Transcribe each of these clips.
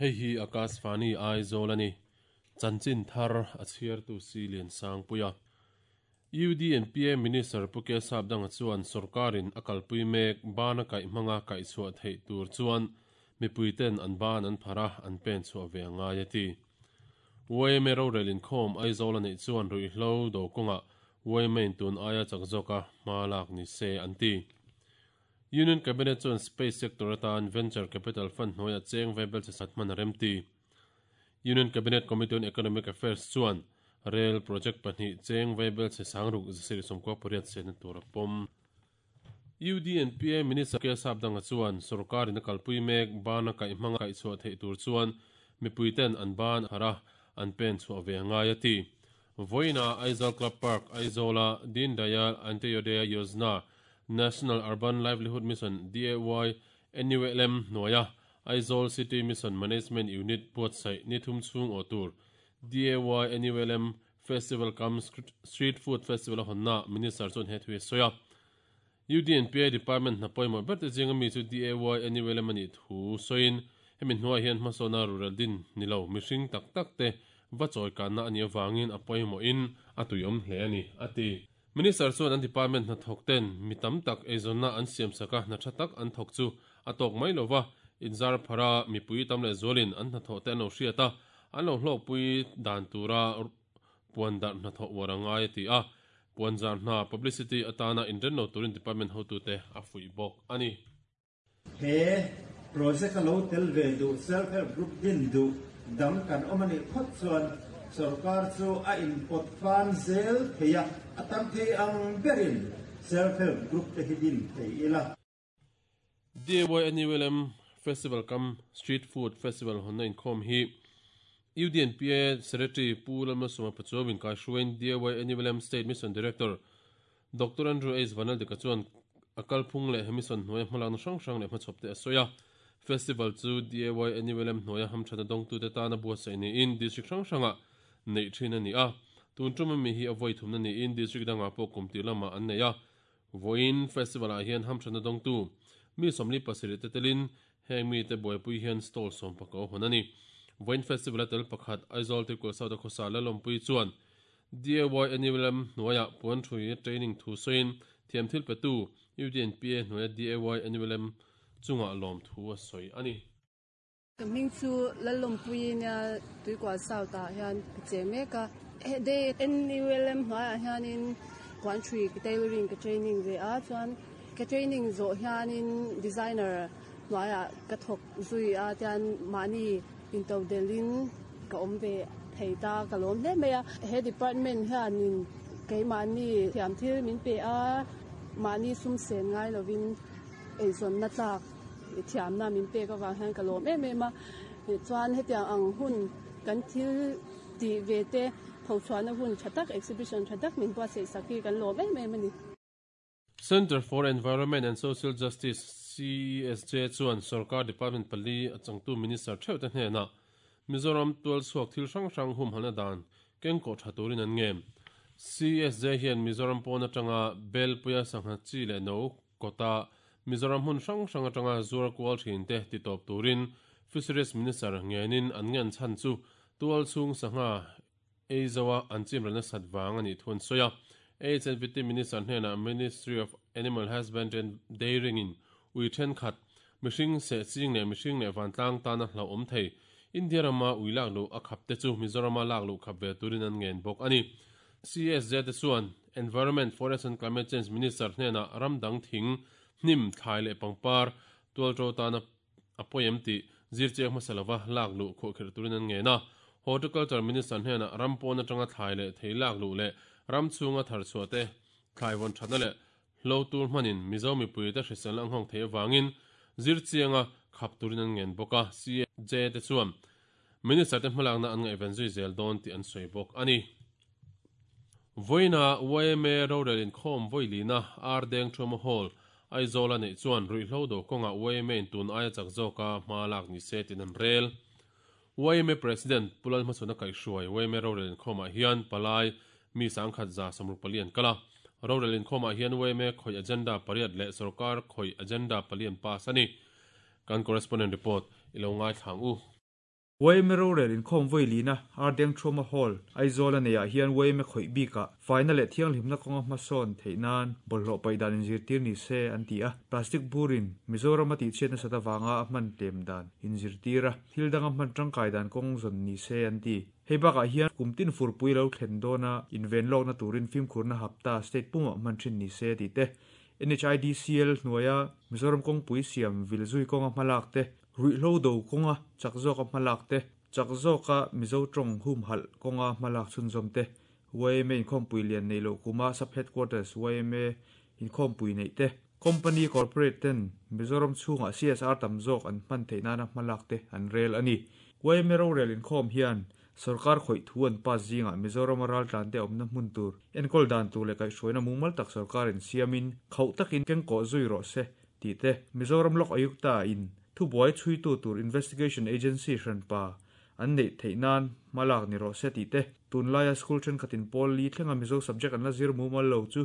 Hei hi Akashvani Aizawl a ni. Chanchin thar a chhiartu si Liansangpuia. UDNPA Minister Pu K Sapdanga chuan sorkarin a kalpui mek bana kaih hmanga kaih chhuah theih tur chuan mipuiten an ban an phar a, an pen chhuah ve a ngai a ti. YMA rorel inkhawm Aizawl a neih chuan ruihhlo do kawngah YMA in tun aia chak zawka hma lak ni se an ti. Union Cabinet chuan Space Sector atan Venture Capital Fund hnuaiah cheng vaibel che sat hman a remti. Union Cabinet Committee on Economic Affairs chuan Rail Project pahnih cheng vaibel che sangruk zasarih sawmkua pariat sehna tur a pawm. UDNPA Minister K Sapdanga chuan sorkarin a kalpui mek bana kaih hmanga kaih chhuah theih tur chuan mipuiten an ban harh a, an pen chhuah ve a ngai a ti. Vawiina Aizawl Club Park, Aizawla Deen Dayal Antyodaya Yojana, National Urban Livelihood Mission, DAY, NULM, hnuaia Aizawl City Mission Management Unit buatsaih ni thum chhung awh tur DAY NULM Festival cum Street Food Festival a hawnna Minister chuan he thu hi a sawi a. UDNPA Department hna pawimawh ber te zinga mi chu DAY NULM a nih thu sawiin hemi hnuaiah hian hmasawna rural din ni lo mihring tak tak te va chawikanna a nih avangin a pawimawhin a tuiawm hle a ni, a ti. Minister chuan an department hnathawk ten mi tam tak eizawnna an siamsak a, hna tha tak an thawk chu a tawk mai lova, inzar phara mipui tam leh zualin an hnathawh te an lo hriat a, an lo hlawkpui dan tura puan darh hnathawh uar a ngai a ti a, puan zar hna, publicity, atana inren lo turin department hotute a fuih bawk a ni. He project a lo tel ve duh self help group din duh dang kan awm a nih phawt chuan sorkar chu a inpawt fan zel thei a, a tam thei ang berin self help group te hi din thei ila. DAYNULM Festival cum Street Food Festival hawnna inkhawm hi UDNPA Secretary Pu Lalmalsawma Pachuau inkaihruaiin DAYNULM State Mission Director Doctor Andrew H. Vanaldika chuan a kalphung leh he mission hnuaia hmalakna hrang hrang leh hmachhawpte a sawi a. Festival chu DAYNULM hnuaia hamthatna dawngtute tana buatsaih niin district hrang hrangah neih thin a ni a. Tun tum ami hi a vawi thumna niin district dangah pawh kum tir lamah an nei a. Vawiin festival-ah hian hamthatna dawngtu mi 47 te telin heng mite buaipui hian stall sawmpakau hawn a ni. Vawiin festival-a tel pakhat Aizawl Tuikual South-a khawsa Lalawmpui chuan DAYNULM hnuaiah puan thui training thu sawiin thiam thil petu UDNPA hnuaia DAYNULM chungah lawm thu a sawi a ni. Ka hming chu Lalawmpuii nia Tuikual South ah hian ka cheng mek a. DAYNULM hnuaiah hianin puan thui tailoring ka training ve a, chuan ka training zawh hianin designer hnuaiah ka thawk zui a, tian mahni intodelhin ka awm ve thei ta ka lawm hle mai a. He department hianin keimahni thiam thil min pe a, mahni sum sen ngai lovin eizawnna tlak thiamna min pek avang hian ka lawm em em a. Chuan hetiang ang hun kan thil tih ve te phochhuahna hun tha tak exhibition tha tak min buatsaih sak hi kan lawm em em a ni. Centre for Environment and Social Justice, CESJ, chuan sorkar department pali a changtu minister theuhte hnenah Mizoram tualchhuak thil hrang hrang humhalhna dan kengkawh tha turin an ngen. CESJ hian Mizoram pawn atanga Belpuia sangha chi leh no kawta Mizoram hmun hrang hrang atanga zuar kual thinte titawp turin Fisheries Minister ngenin an ngen chhan chu tualchhung sangha Ei zoa an chim ralna sat vang a nih thu an sawi a. HNVT Minister hnenah Ministry of Animal Husbandry and Dairying in ui thenkhat, mihring seh ching leh mihring leh vantlang tana hlauhawm thei, India rama ui lak luh a khap te chu Mizorama lak luh khap ve turin an ngen bawk a ni. CSJ te chuan Environment, Forest and Climate Change Minister hnenah ram dang thing, hnim, thlai leh pangpar tualto tana a pawi em tih zirchiang hmasa lova lak luh khuahkhirh turin an ngen a. Horticulture Minister hnenah ram pawn atanga thlai leh thei lak luh leh ram chhunga thar chhuah te, thlai vawn thatna leh hlo tur hmanin Mizo mipuite hriselna a nghawng theih avangin zirchianga khap turin an ngen bawk a. CJ te chuan Minister te hmalakna an ngaihven zui zel dawn tih an sawi bawk a ni. Vawiina yma rorel inkhawm vawilina Ar Deng Thuama Hall, Aizawl a neih chuan ruihhlo do kawngah yma in tun aia chak zawka hma lak ni se tiin an rel. Yma President Pu Lalhmachhawna kaihhruai yma rorel inkhawmah hian palai mi sangkhat 164 an kal a. Rorel inkhawmah hian yma khawih agenda pariat leh sorkar khawih agenda pali an pass a ni. Kan correspondent report i lo ngaithla ang u. Yma rorel inkhawm vawi lina Ardengthuama Hall, Aizawl a neihah hian yma khawih bikah faina leh thianghlimna kawnga hmasawn theih nan bawlhhlawh paih dan inzirtir ni se an ti a. Plastic burin Mizoram a tihchhiat nasat avanga a hman tlem dan inzirtir a, thil danga hman tangkai dan kawng zawn ni se an ti. Hei bakah hian kum tin furpui lo thlen dawna inven lawkna turin fimkhurna hapta state pumah hman thin ni se tih te, NHIDCL hnuaia Mizoram kawngpui siam vil zui kawnga hmalak te, Ruihhlo do kawnga chak zawka hmalak te, chak zawka Mizo tawng humhalh kawnga hmalak chhunzawm te, yma inkhawmpui lian neih loh kuma Sub Headquarters yma inkhawmpui neih te, Company Corporate ten Mizoram chhungah CSR tam zawk an hman theih nana hmalak te an rel a ni. Yma rorel inkhawm hian sorkar khawih thu an pass zingah Mizorama raltlante awmna hmun tur enkawl dan tur leh kaihhruaina mumal tak sorkarin siamin khauh takin kengkawh zui rawh se tih te, Mizoram Lok Ayukta in thubuai chhuitu tur Investigation Agency hranpa an neih theih nan hma lak ni rawh se tih te, tunlaia school thenkhatin pawl li thlenga Mizo subject an la zir mumal lo chu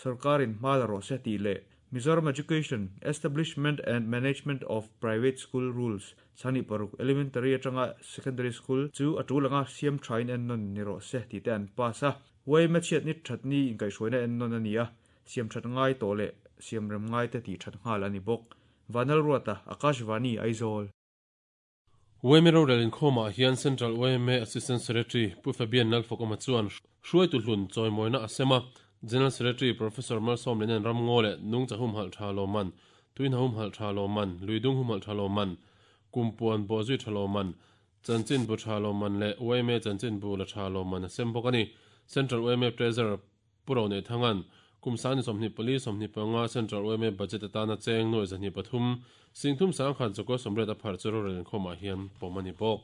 sorkarin hma la rawh se tih leh Mizoram Education, Establishment and Management of Private School Rules, 26 Elementary atanga Secondary School chu a tul anga siam thain ennawn ni rawh se tih te an pass a. Yma chhiatni thatni inkaihhruaina ennawn a ni a, Siam that ngai tawh leh siam rem ngai te tih that nghal a ni bawk. Vanlalruata, Akashvani, Aizawl. Yma rorel inkhawmah hian Central yma Assistant Secretary Pu Fabian Lalfakawma chuan hruaitu hlun chawimawina a sem a, General Secretary Professor Malsawmliana'n ramngaw leh nungcha humhalh tha lawmman, tuihna humhalh tha lawmman, luidung humhalh tha lawmman, kumpuan bawhzui tha lawmman, chanchinbu tha lawmman leh yma chanchinbu la tha lawmman a sem bawk a ni. Central yma Treasurer Pu Roneithanga'n kum sangni 24 25 Central yma Budget atana cheng nuai 103 singthum sangkhat zakua 80 a pharh chu rorel inkhawmah hian pawm a ni bawk.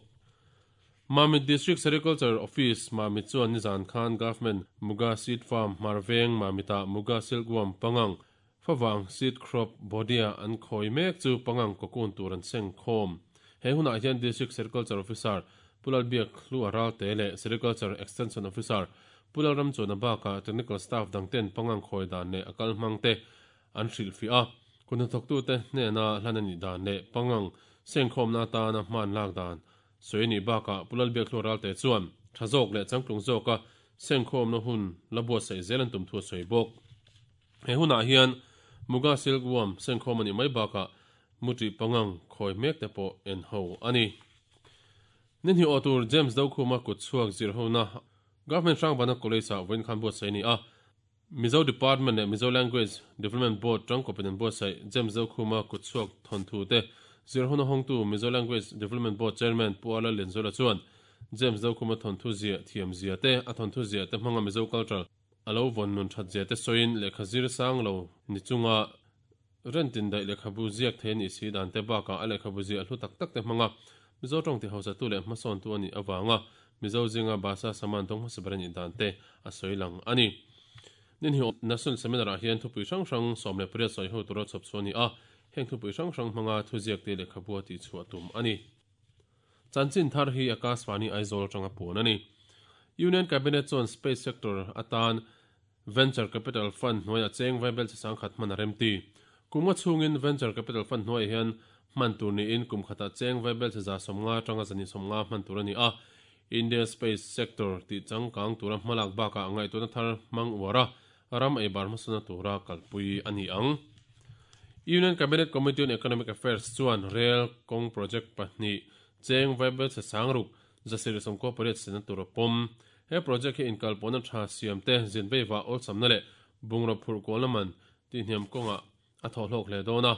Mamit District Sericulture Office, Mamit chuan nizan khan Government Muga Seed Farm, Hmarveng, Mamitah Muga Silkworm pangang, favang seed crop, Bodia an khawi mek chu pangang cocoon tur an seng khawm. He hunah hian District Sericulture Officer Pu Lalbiak Hlua Ralte leh Sericulture Extension Officer Pu Lalramchuana bakah Technical Staff dangten pangang khawi dan leh a kal hmang te an hrilhfiah a. Kut hnathawktute hnena hlan a nih dan leh pangang sengkhawmna atana hman lak dan sawi a nih bakah Pu Lalbiak Hlua Ralte chuan tha zawk leh changtlung zawka sengkhawmna hun la buatsaih zel an tum thu a sawi bawk. He hunah hian Muga Silkworm sengkhawm a nih mai bakah Mutri pangang khawi mek te pawh en ho a ni. Ni hnih awh tur James Dokhuma kut chhuak zir hona Government Hrangbana College-ah vawiin khan buatsaih a ni a. Mizo Department leh Mizo Language Development Board tangkawpin an buatsaih James Dokhuma kut chhuak thawnthu te zir hona hawngtu Mizo Language Development Board Chairman Pu Ala Lianzuala chuan James Dokhuma thawnthu ziah thiam zia te, a thawnthu ziah te hmanga Mizo culture a lo vawn nun that zia te sawiin lehkha zir sang lo ni chunga Rentin daih lehkhabu ziak thei a nih si dan te bakah a lehkhabu ziah hlu tak tak te hmanga Mizo tawng ti hausatu leh hmasawntu a nih avanga Mizo zinga Basa Saman tawng hmasa ber a nih dan te a sawi lang a ni. Ninhi National Seminar ah hian thupui hrang hrang 18 sawi ho tura chhawp chhuah a ni a, heng thupui hrang hrang hmanga thuziak te lehkhabu a tihchhuah tum a ni. Chanchin thar hi Akashvani Aizawl atanga puan a ni. Union Cabinet chuan Space Sector atan Venture Capital Fund hnuaiah cheng vaibel chi sangkhat hman a remti. Kum nga chhungin Venture Capital Fund hnuaiah hian hman tur niin kum khatah cheng vaibel chi 150 atanga 250 hman tur a ni a. India Space Sector tih changkang tura hmalak bakah ngaihtuahna thar hmang uar a, ram eibar hmasawna tura kalpui a ni ang. Union Cabinet Committee on Economic Affairs chuan Rail kawng project pahnih cheng vaibel chi sangruk 798 sena tur a pawm. He project hi inkalpawhna tha siam te, zin veivah awlsamna leh bungraw phurh kualna man tihhniam kawngah a thawh hlawk hle dawn a.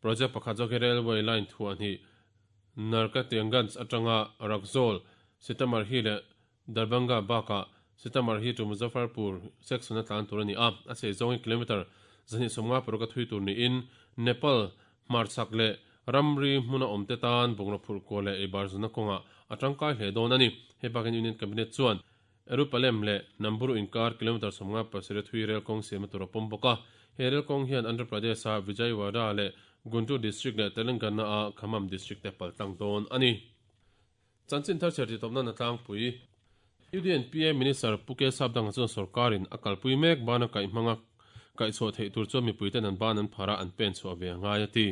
Project pakhat zawk hi railway line thuah hnih Narkatiaganj atanga Raxaul, Sitamarhi leh Darbhanga bakah Sitamarhi to Muzaffarpur section a tlan tur a ni a, a chei zawng hi kilometre 256 a thui tur niin Nepal hmarchhak leh ramri hmuna awmte tan bungraw phurh kual leh eibar zunna kawngah a tangkai hle dawn a ni. Hei bakin Union Cabinet chuan Erupalem leh Namburu inkar kilometre 57 thui rel kawng siamna tur a pawm bawk a. He rel kawng hian Andhra Pradesh-a Vijayawada leh Guntur District leh Telangana-a Khammam District te paltlang dawn a ni. Chanchin thar chhiar titawpna na tlangpui. UDNPA Minister Pu K Sapdanga chuan sorkarin a kalpui mek bana kaih hmanga kaihchhuah theih tur chuan mipuiten an ban an phar a, an pen chhuah ve a ngai a ti.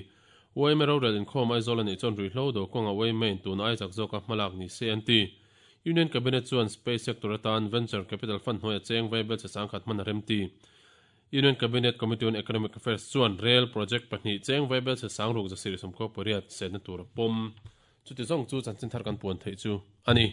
Yma rorel inkhawm Aizawl a nih chuan ruihhlo do kawnga yma in tun ai chak zawka hmalak ni se an ti. Union Cabinet chuan Space Sector atan Venture Capital Fund hnuaia cheng vaibel che sangkhat hman a remti. Union Cabinet Committee on Economic Affairs chuan Rail Project pahnih cheng vaibel che sangruk zasir sawmkhaw pariat setna tur a pawm. Chuti zawng chu chanchin thar kan puan theih chu a ni.